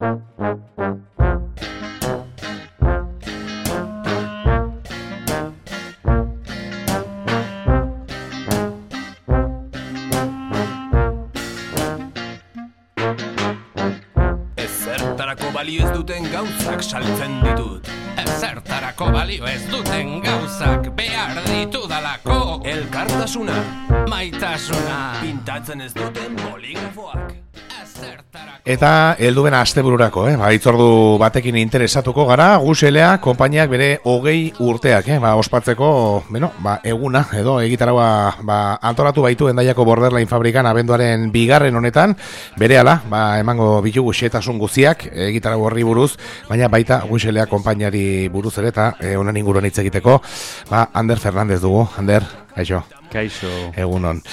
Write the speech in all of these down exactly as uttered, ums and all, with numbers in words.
Ezertarako balio ez duten gauzak saltzen ditut. Ezertarako balio ez duten gauzak behar ditudalako. Elkartasuna, Maitasuna, pintatzen ez duten boligrafoak. Eta helduen astebururako, eh? Ba, itzordu batekin interesatuko gara, Guselea konpainiak bere hogei urteak, eh? Ba, ospatzeko, bueno, ba, eguna, edo egitaragua ba, antolatu baitu Hendaiako Borderline fabrikan abenduaren bigarren honetan, berehala, ba, emango bitugu xetasun guziak, egitarago horri buruz, baina baita Guselea konpainiari buruz ere, eta eh, honen inguruan hitz egiteko, ba, Ander Fernandez dugu, Ander, kaixo. Kaixo. Egunon.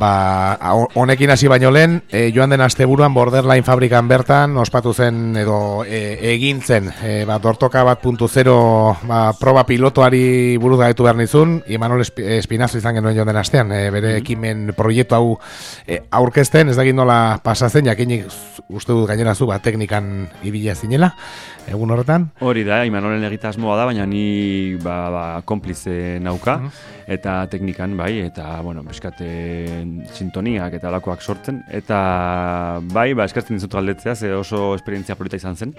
Ba, honekin hasi baino lehen, e, joan den asteburuan Borderline fabrikan bertan ospatu zen edo e, egin zen, e, ba, dortoka bat puntu zero ba, proba pilotoari buruz gaitu behar nizun, Imanol Espinazo izan genuen joan den astean, e, bere ekimen proiektu hau e, aurkezten, ez dakit nola pasatzen, jakinik uste dut gainera zu, ba, teknikan ibila zinela, egun horretan? Hori da, Imanolen egitasmoa da, baina ni ba, ba, konplize nauka, uh-huh. eta teknikan bai, eta, bueno, beskate sintoniak eta alakoak sortzen, eta bai, ba, eskertzen dizut galdetzea, ze oso esperientzia polita izan zen.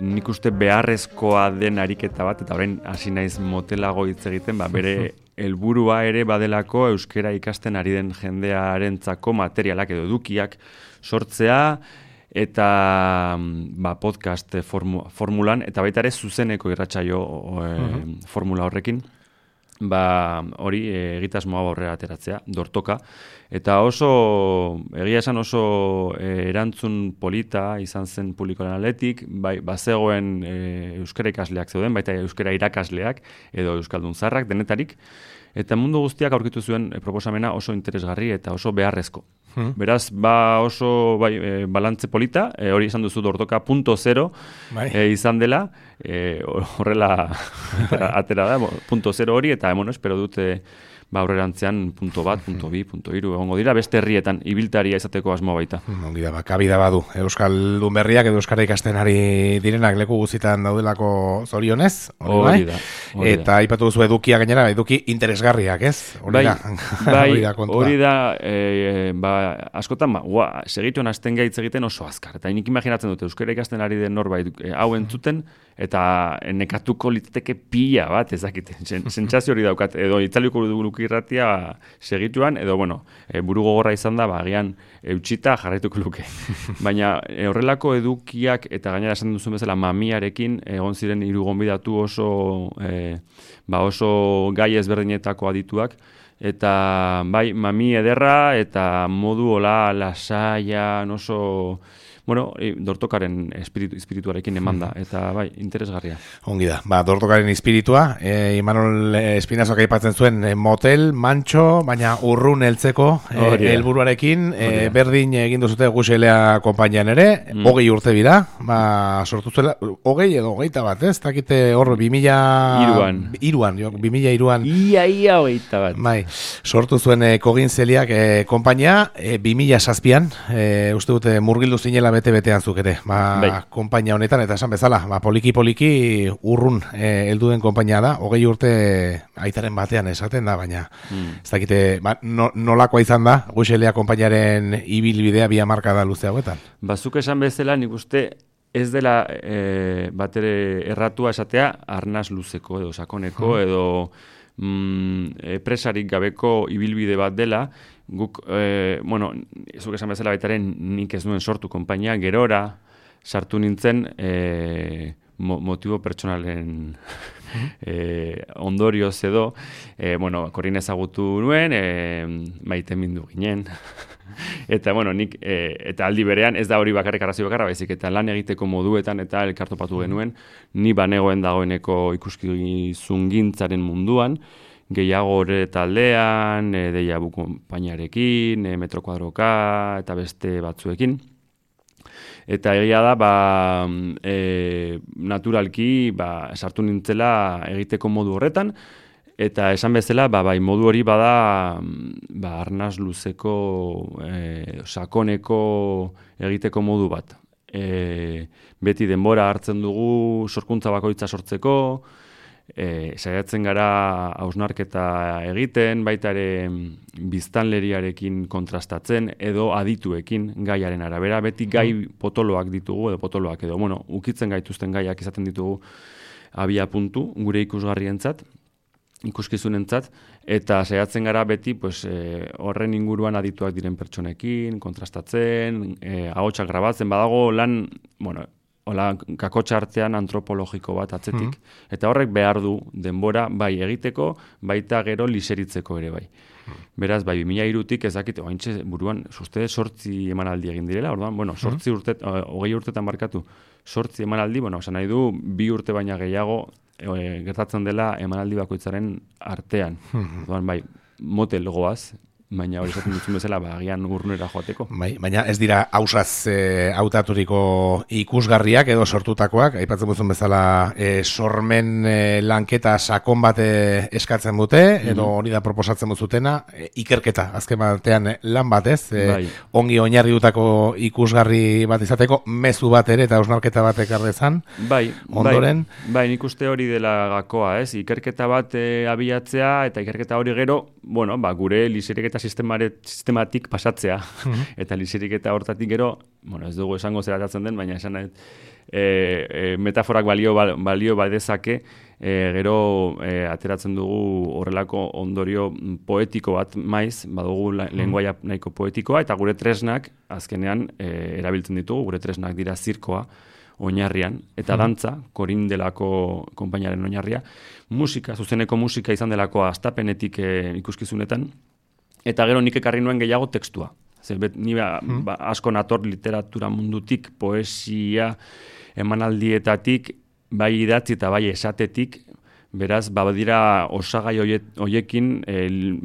Nik uste beharrezkoa den ariketa bat, eta orain hasi naiz motelago hitz egiten, ba, bere helburua ere badelako euskera ikasten ari den jendearentzako materialak edo edukiak sortzea, eta ba, podcast formu, formulan, eta baita ere zuzeneko irratsaio e, uh-huh. formula horrekin, ba hori egitasmoa aurrera ateratzea, dortoka, eta oso, egia esan oso e, erantzun polita izan zen publikoaren aldetik, bai, bazegoen e, euskara ikasleak zeuden, baita euskara irakasleak, edo euskaldun zaharrak, denetarik, eta mundu guztiak aurkitu zuen e, proposamena oso interesgarri eta oso beharrezko. Hmm. Beraz, ba oso bai, e, balantze polita, e, hori izan duzu dortoka punto zero bai. e, izan dela, e, horrela atera da, punto zero hori, eta bueno, espero dute ba aurrerantzean punto bat, punto bi, punto hiru egongo dira, beste herrietan ibiltaria izateko asmo baita. Ongi da, ba, kabida badu. Euskaldun berriak edo euskara ikasten ari direnak leku guztietan daudelako zorionez, hori da. Hori eta aipatu duzu edukia gainera, eduki interesgarriak, ez? Hori bai, da. Bai, hori da, hori da e, ba, askotan, ba, ua, segituen hasten gaitz egiten oso azkar. Eta nik imaginatzen dute, euskara ikasten ari den norbait e, hau entzuten, eta nekatuko litzateke pila bat, ezakite, sentsazio hori daukat, edo itzaliko luki irratia segituan, edo, bueno, e, buru gogorra izan da, ba, agian eutxita jarraituko luke. Baina e, horrelako edukiak, eta gainera esan duzun bezala mamiarekin, egon ziren hiru gonbidatu oso, e, ba, oso gai ezberdinetako adituak, eta bai, mami ederra, eta modu hola lasaian oso... Bueno, dortokaren espiritu, espirituarekin eman da, eta bai, interesgarria. Ongi da, ba, dortokaren espiritua, e, Imanol Espinazok aipatzen zuen e, motel, mantxo, baina urrun heltzeko helburuarekin, e, e, berdin egin duzute Guselea konpainian ere, mm. hogei urte bira, ba, sortu zuela, hogei edo hogeita bat, ez? Takite hor, bimila... Iruan. Iruan, jo, bimila iruan. Ia, ia, hogeita bat. Bai, sortu zuen e, kogintzeliak e, konpainia, e, bimila zazpian, e, uste dute murgildu zinela bete-betean zuk ere, ba, bai. Konpainia honetan, eta esan bezala, ba, poliki-poliki urrun eh, helduen konpainia da, hogei urte aitaren batean esaten da, baina mm. ez dakite, ba, no, nolakoa izan da, Guselea konpainiaren ibilbidea bi hamarka da luze hauetan. Bazuk esan bezala, nik uste ez dela e, batere erratua esatea, arnaz luzeko edo sakoneko, mm. edo mm, presarik gabeko ibilbide bat dela, guk, e, bueno, zuk esan bezala baitaren nik ez nuen sortu konpainia, gerora sartu nintzen e, mo, motibo pertsonalen e, ondorioz edo, e, bueno, Korin ezagutu nuen, e, maite mindu ginen, eta, bueno, nik, e, eta aldi berean, ez da hori bakarrik arrazoi bakarra, baizik, eta lan egiteko moduetan eta elkartopatu genuen, ni banegoen dagoeneko ikuskizungintzaren munduan, gehiago ere taldean, e, Deiabu konpainiarekin, e, Metro Kuadroka eta beste batzuekin. Eta egia da, ba, e, naturalki ba, sartu nintzela egiteko modu horretan, eta esan bezala, ba, bai, modu hori bada ba, arnaz luzeko, e, sakoneko egiteko modu bat. e, beti denbora hartzen dugu sorkuntza bakoitza sortzeko, e, saiatzen gara hausnarketa egiten, baita ere biztanleriarekin kontrastatzen edo adituekin gaiaren arabera, beti gai potoloak ditugu edo potoloak edo, bueno, ukitzen gaituzten gaiak izaten ditugu abia puntu gure ikusgarrientzat, ikuskizunentzat, eta saiatzen gara beti pues, e, horren inguruan adituak diren pertsonekin, kontrastatzen, e, ahotsak grabatzen, badago lan, bueno, hola, kakotxa artean antropologiko bat atzetik, mm. eta horrek behar du denbora bai egiteko, baita gero liseritzeko ere bai. Mm. Beraz, bai, bi mila hirutik ez dakit, oaintxe buruan, uste sortzi emanaldi egin direla, orduan, bueno, sortzi urte, hogei urtetan markatu, sortzi emanaldi, bueno, esan nahi du, bi urte baina gehiago, E, gertatzen dela emanaldi bakoitzaren artean. Mm-hmm. Doan, bai, motel goaz, baina hori esaten duzun bezala, ba, agian urnera joateko. Bai, baina ez dira hausaz e, hautaturiko ikusgarriak edo sortutakoak, aipatzen duzun bezala e, sormen e, lanketa sakon bat e, eskatzen dute, edo hori da proposatzen duzutena, e, ikerketa, azken batean e, lan batez, e, bai. Ongi oinarriutako ikusgarri bat izateko, mezu bat ere eta hausnarketa bat ekarrezan, bai, ondoren. Bai, bai, nik uste hori dela gakoa, ez? Ikerketa bat e, abiatzea, eta ikerketa hori gero, bueno, ba, gure liseriketa sistematik pasatzea, mm-hmm. eta lisiriketa hortatik gero, bueno, ez dugu esango zeratatzen den, baina esan nahi, e, e, metaforak balio, balio badezake, e, gero e, ateratzen dugu horrelako ondorio poetiko bat maiz, badugu mm-hmm. lenguaia nahiko poetikoa, eta gure tresnak, azkenean, e, erabiltzen ditugu, gure tresnak dira zirkoa, oinarrian, eta mm-hmm. dantza, korin delako konpainaren oinarria, musika, zuzeneko musika izan delako astapenetik e, ikuskizunetan, eta gero nik ekarri nuen gehiago tekstua. Zer, bet, ni ba, mm. ba, asko nator literatura mundutik, poesia, emanaldietatik, bai idatzi eta bai esatetik, beraz, badira osagai hoiekin,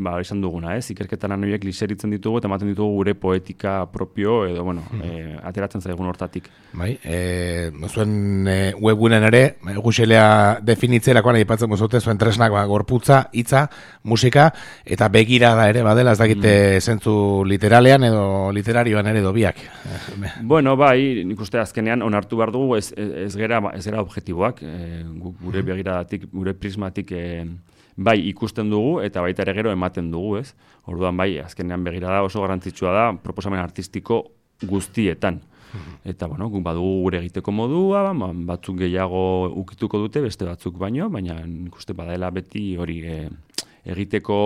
ba, esan duguna, ez? Ikerketan horiek liseritzen ditugu eta ematen ditugu gure poetika propio, edo, bueno, mm. e, ateratzen zaigun hortatik. Bai, e, zuen e, webgunen ere, guxelea definitzerakoan aipatzen mozute, zuen tresnak ba, gorputza, hitza, musika, eta begirada ere, badela, ez dakite mm. zentzu literalean edo literarioan ere dobiak. Bueno, bai, nik uste azkenean onartu behar dugu, ez, ez, gera, ez gera objektiboak, e, gure mm. begiradatik, gure prismatik e, bai ikusten dugu eta baita ere gero ematen dugu, ez? Orduan bai, azkenean begirada oso garrantzitsua da proposamen artistiko guztietan. Eta, bueno, guk badugu gure egiteko modua, batzuk gehiago ukituko dute, beste batzuk baino, baina ikuste badaela beti hori e, egiteko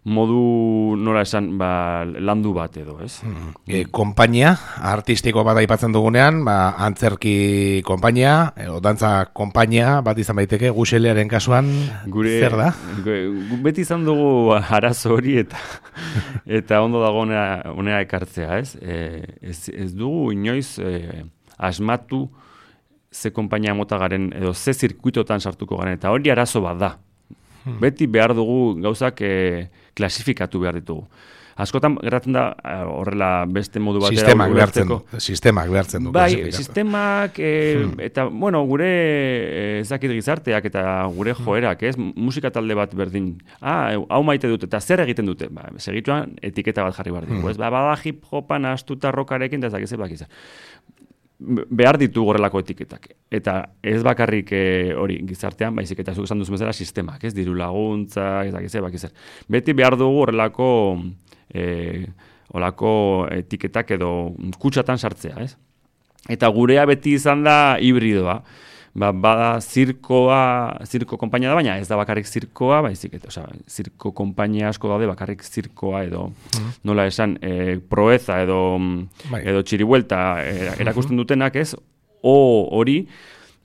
modu nola esan ba, landu bat edo, ez? Mm. E, konpainia, artistiko bat aipatzen dugunean, ba, antzerki konpainia, edo dantza konpainia bat izan baiteke, guxelearen kasuan, gure, zer da? Gure, beti izan dugu arazo hori eta eta ondo dago honea ekartzea, ez? E, ez? Ez dugu inoiz e, asmatu ze konpainia mota garen, edo ze zirkuitotan sartuko garen, eta hori arazo bat da. Hmm. Beti behar dugu gauzak e, klasifikatu behar ditugu. Askotan gertatzen da horrela beste modu batera sistemak behartzen du. Sistemak behartzen du. Bai, sistemak e, hmm. eta bueno, gure ez dakit gizarteak eta gure joerak, ez? Musika talde bat berdin. Ah, hau maite dute eta zer egiten dute? Ba, segituan etiketa bat jarri behar dugu, hmm. ez? Ba, bada hip hopan astuta rockarekin eta ez dakit bakiza. Behar ditu horrelako etiketak. Eta ez bakarrik e, hori gizartean, baizik eta zuk esan duzu bezala sistemak, ez diru laguntza, ez dakize, bakizer. Beti behar dugu horrelako e, horrelako etiketak edo kutsatan sartzea, ez? Eta gurea beti izan da hibridoa. Ba, bada zirkoa, zirko konpainia da, baina ez da bakarrik zirkoa, baizik eta, osea, zirko konpainia asko daude bakarrik zirkoa edo mm. nola esan, e, proeza edo bai. Edo txiribuelta e, erakusten dutenak, ez? O hori,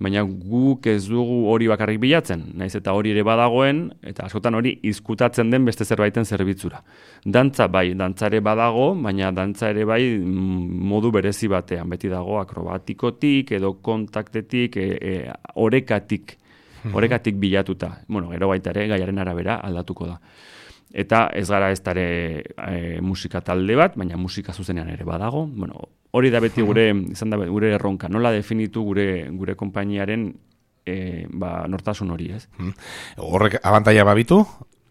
baina guk ez dugu hori bakarrik bilatzen, naiz eta hori ere badagoen, eta askotan hori izkutatzen den beste zerbaiten zerbitzura. Dantza bai, dantza ere badago, baina dantza ere bai modu berezi batean, beti dago akrobatikotik edo kontaktetik, e, e, orekatik, orekatik bilatuta. Bueno, gero baita ere gaiaren arabera aldatuko da. Eta ez gara ez dare e, musika talde bat, baina musika zuzenean ere badago. Bueno, hori da beti gure, izan da gure erronka, nola definitu gure gure konpainiaren e, ba, nortasun hori, ez? Horrek abantaila babitu,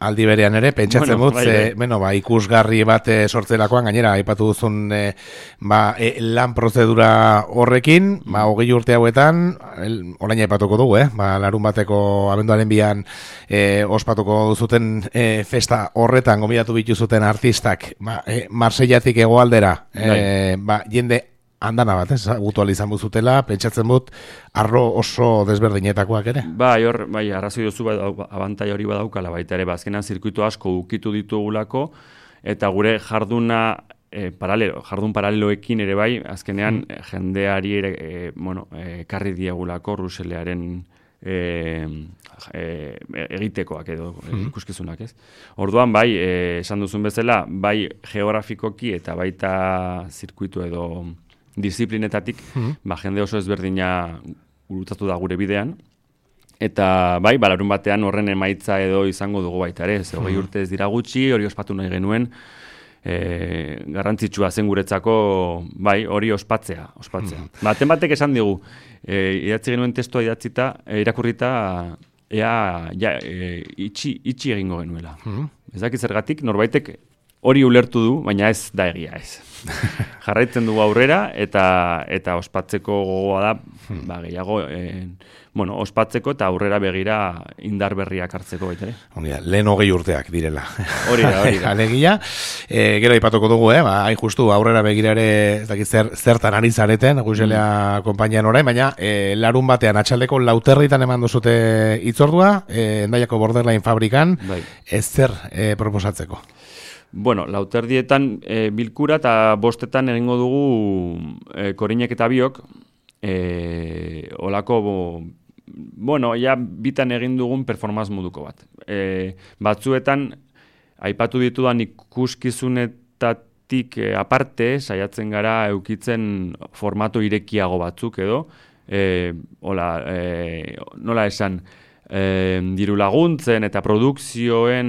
aldi berean ere, pentsatzen Bueno, dut, bai, ze, bai. bueno, ba, ikusgarri bat e, sortzerakoan, gainera, aipatu duzun e, ba, e, lan prozedura horrekin, ba, hogei urte hauetan, el, orain aipatuko dugu, eh? Ba, larun bateko abenduaren bian e, ospatuko duzuten e, festa horretan, gomidatu bituzuten artistak, ba, e, Marseillatik hegoaldera, e, ba, jende andana bat, ez, gutu izan buzutela, pentsatzen dut, arro oso desberdinetakoak ere. Bai, hor, bai, arrazoi duzu ba, abantai hori badaukala baita ere, bazkenan zirkuito asko ukitu ditugulako, eta gure jarduna e, paralelo, jardun paraleloekin ere bai, azkenean mm. jendeari ere, e, bueno, e, karri diegulako Ruselearen e, e, egitekoak edo mm. ikuskizunak, ez? Orduan, bai, e, esan duzun bezala, bai geografikoki eta baita zirkuitu edo disiplinetatik, mm-hmm. ba, jende oso ezberdina gurutatu da gure bidean, eta bai, balarun batean horren emaitza edo izango dugu baita ere, ez hogei urte ez dira gutxi, hori ospatu nahi genuen, e, garrantzitsua zen guretzako, bai, hori ospatzea, ospatzea. Mm-hmm. Baten batek esan digu, e, idatzi genuen testua idatzita, e, irakurrita, ea, ja, e, itxi, itxi egingo genuela. Mm-hmm. Ez dakit zergatik, norbaitek hori ulertu du, baina ez da egia ez. Jarraitzen dugu aurrera eta eta ospatzeko gogoa da, ba, gehiago, e, bueno, ospatzeko eta aurrera begira indar berriak hartzeko baita ere. Ongi da, lehen hogei urteak direla. Hori da, hori da. Alegia, e, gero aipatuko dugu, eh? Ba, hain justu aurrera begira ere, ez dakit zer, zertan ari zareten, Guselea mm. konpainian orain, baina e, larun batean atxaldeko lauterritan eman duzute itzordua, e, Hendaiako Borderline fabrikan, bai. Ez zer e, proposatzeko. Bueno, lauterdietan e, bilkura eta bostetan egingo dugu e, Korinek eta biok, e, olako, bo, bueno, ja bitan egin dugun performance moduko bat. E, batzuetan, aipatu ditudan ikuskizunetatik e, aparte, saiatzen gara eukitzen formato irekiago batzuk edo, e, hola, e, nola esan, e, diru laguntzen eta produkzioen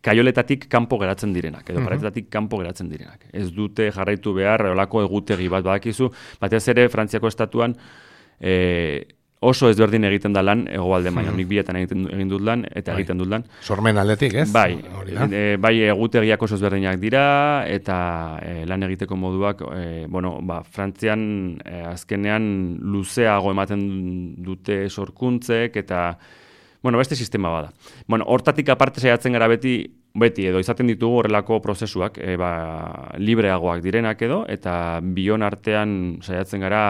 kaioletatik kanpo geratzen direnak, edo paretetatik kanpo geratzen direnak. Ez dute jarraitu behar, olako egutegi bat badakizu, batez ere Frantziako estatuan e, oso ezberdin egiten da lan, hegoalde baina, nik biletan egiten, egin dut lan, eta bai. egiten dut lan. Sormen aldetik, ez? Bai, e, bai egutegiak oso ezberdinak dira, eta e, lan egiteko moduak, e, bueno, ba, Frantzian e, azkenean luzeago ematen dute sorkuntzek, eta bueno, beste sistema bada. Bueno, hortatik aparte saiatzen gara beti, beti edo izaten ditugu horrelako prozesuak, e, ba, libreagoak direnak edo, eta bion artean saiatzen gara,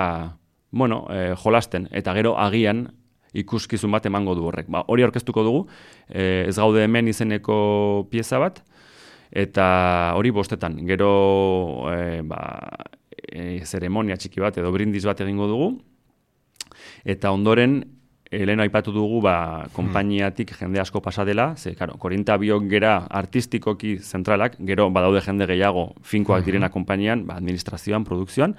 bueno, e, jolasten, eta gero agian ikuskizun bat emango du horrek. Ba, hori aurkeztuko dugu, e, ez gaude hemen izeneko pieza bat, eta hori bostetan. Gero, e, ba, e, zeremonia txiki bat edo brindis bat egingo dugu, eta ondoren, Lehen aipatu dugu, ba, konpainiatik jende asko pasa dela, ze, karo, Korinta biok gera artistikoki zentralak, gero badaude jende gehiago finkoak direna konpainian, ba, administrazioan, produkzioan,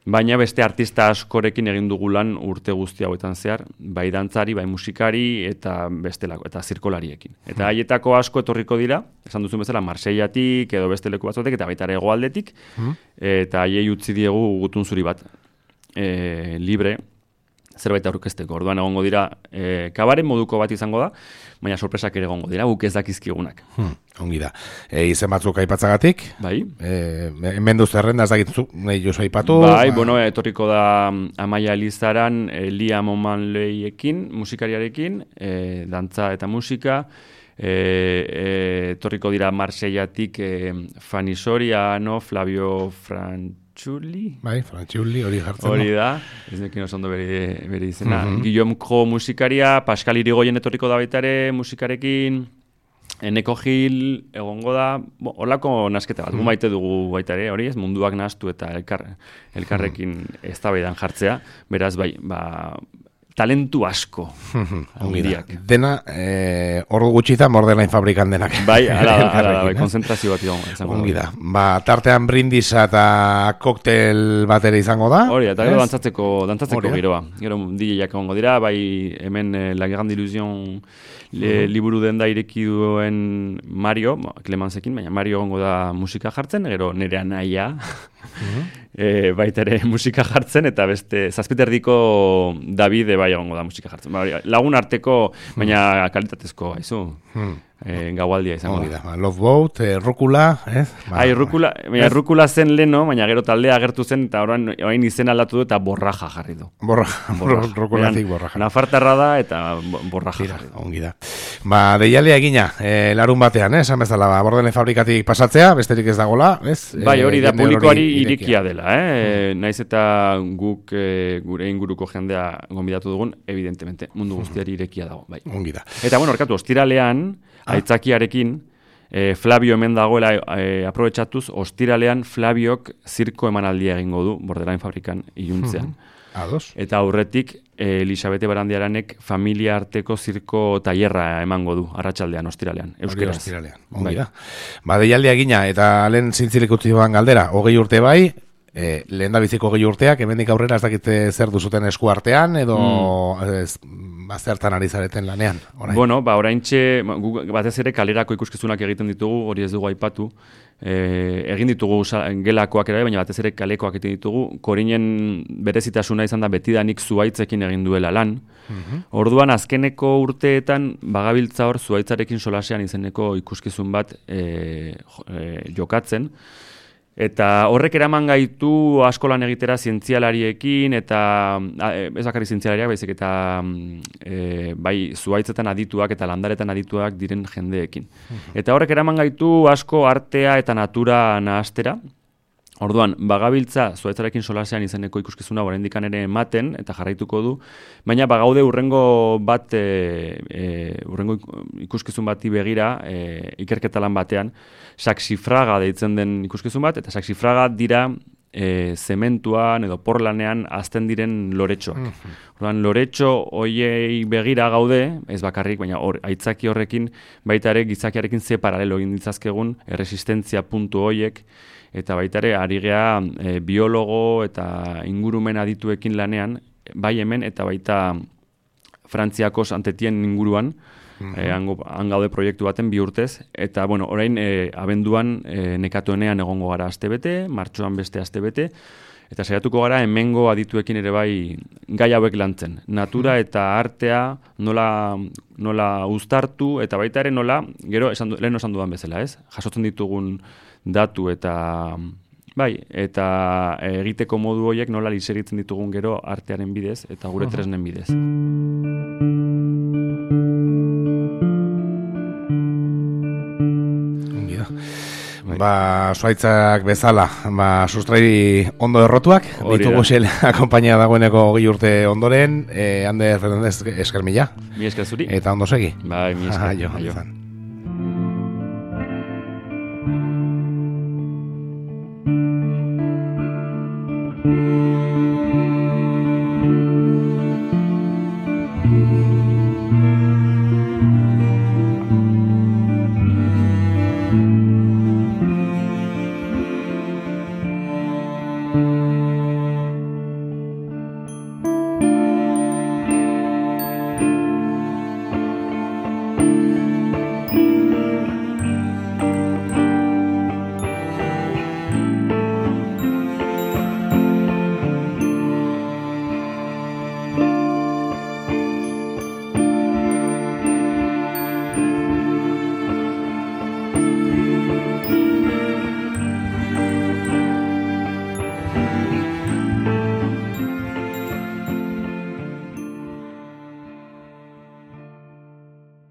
baina beste artista askorekin egin dugu lan urte guzti hauetan zehar, bai dantzari, bai musikari, eta bestelako, eta zirkolariekin. Eta haietako asko etorriko dira, esan duzun bezala, Marseillatik, edo beste leku batzuetek, eta baita ere hegoaldetik, eta haiei utzi diegu gutun zuri bat, e, libre, zerbait aurkezteko. Orduan egongo dira, e, kabaren moduko bat izango da, baina sorpresak ere egongo dira, guk ez dakizkigunak. Hmm, ongi da. E, izen batzuk aipatzagatik? Bai. E, hemen duzu errenda, ez dakitzu, nahi jozu aipatu? Bai, ba... bueno, etorriko da Amaia Elizaran, e, Lia Momanleiekin, musikariarekin, e, dantza eta musika, e, e, etorriko dira Marseillatik e, Fanny Soriano, Flavio Frantz, Txuli? Bai, Frantxuli, hori jartzen. Hori da, ez nekin oso ondo bere, bere izena. Mm -hmm. Guillaume Kro musikaria, Pascal Irigoyen etorriko da baita ere musikarekin, Eneko Gil egongo da, horlako nasketa bat, mm -hmm. maite dugu baita ere, hori ez, munduak nahastu eta elkar, elkarrekin mm -hmm. eztabaidan jartzea, beraz bai, ba, talentu asko. Ongirak. Dena, eh, ordu gutxitan Borderline fabrikan denak. Bai, ala da, ala da, bai, konzentrazio bat izango. Ongi da. Ba, tartean brindisa eta koktel bat ere izango da. Hori, eta gero dantzatzeko, dantzatzeko giroa. Gero D J-ak egongo dira, bai, hemen eh, La Grande Illusion le, liburu den da ireki duen Mario, Clemencekin, baina Mario egongo da musika jartzen, gero nire anaia, e, baita ere musika jartzen, eta beste zazpiterdiko Davide bai egongo da musika jartzen. Ba, lagun arteko, baina kalitatezko, haizu. Hmm. E, gaualdia izango da. Ba, Love Boat, e, Rukula, ez? Ba, Ai, Rukula, baina Rukula zen leno, baina gero taldea agertu zen, eta orain, orain izen aldatu du, eta borraja jarri du. Borraja, borraja. Rukulatik borraja. Nafartarra da, eta borraja Tira, jarri du. Ongi da. Ba, deialea egina, e, larun batean, eh? Esan bezala, ba, Bordelen fabrikatik pasatzea, besterik ez dagoela, ez? Bai, hori da, e, publikoari irikia dela, eh? Mm. Naiz eta guk e, gure inguruko jendea gonbidatu dugun, evidentemente, mundu guztiari irekia dago, bai. Ongi da. Eta, bueno, orkatu, ostiralean, aitzakiarekin, eh, Flavio hemen dagoela eh, aprobetxatuz, ostiralean Flaviok zirko emanaldia egingo du Bordelain fabrikan iluntzean. Ados. Eta aurretik eh, Elisabete Barandiaranek familia arteko zirko tailerra emango du, arratsaldean ostiralean, euskeraz. Ostiralean, ongi da. Ba, deialdia egina, eta lehen zintzilik utzi duan galdera, hogei urte bai, E, lehen da biziko gehi urteak, hemendik aurrera ez dakite zer duzuten esku artean, edo mm. ez, bazertan ari zareten lanean. Orain. Bueno, ba, oraintxe, batez ere kalerako ikuskizunak egiten ditugu, hori ez dugu aipatu, e, egin ditugu gelakoak ere, baina batez ere kalekoak egiten ditugu, Korinen berezitasuna izan da betidanik zuaitzekin egin duela lan. Mm-hmm. Orduan, azkeneko urteetan, bagabiltza hor zuaitzarekin solasean izeneko ikuskizun bat e, e, jokatzen, eta horrek eraman gaitu askolan egitera zientzialariekin, eta ez bakarrik zientzialariak, baizik eta e, bai zuaitzetan adituak eta landaretan adituak diren jendeekin. Uh-huh. Eta horrek eraman gaitu asko artea eta natura nahastera. Orduan, bagabiltza zuaitzarekin solasean izeneko ikuskizuna oraindik ere ematen eta jarraituko du, baina bagaude urrengo bat e, e, urrengo ikuskizun bati begira e, ikerketa lan batean saxifraga deitzen den ikuskizun bat, eta saxifraga dira e, zementuan edo porlanean azten diren loretxoak. Mm-hmm. Orduan, loretxo hoiei begira gaude, ez bakarrik, baina or, aitzaki horrekin baita ere gizakiarekin ze paralelo egin ditzazkegun erresistentzia puntu hoiek, eta baita ere ari gea e, biologo eta ingurumen adituekin lanean, bai hemen eta baita Frantziako santetien inguruan, mm-hmm. e, hango, hangaude proiektu baten bi urtez, eta bueno, orain e, abenduan e, nekatuenean egongo gara astebete, martxoan beste astebete, eta saiatuko gara hemengo adituekin ere bai gai hauek lantzen. Natura eta artea nola, nola uztartu, eta baita ere nola, gero esan, lehen esan dudan bezala, ez? Jasotzen ditugun datu eta bai, eta egiteko modu horiek nola liseritzen ditugun gero artearen bidez eta gure tresnen bidez. Bai. Ba, zuaitzak bezala, ba, sustrai ondo errotuak, ditugu xel akompainia dagoeneko hogei urte ondoren, eh, Ander Fernandez esker mila. Mi esker zuri. Eta ondo segi. Bai, mi esker. Aio, aio. Thank you.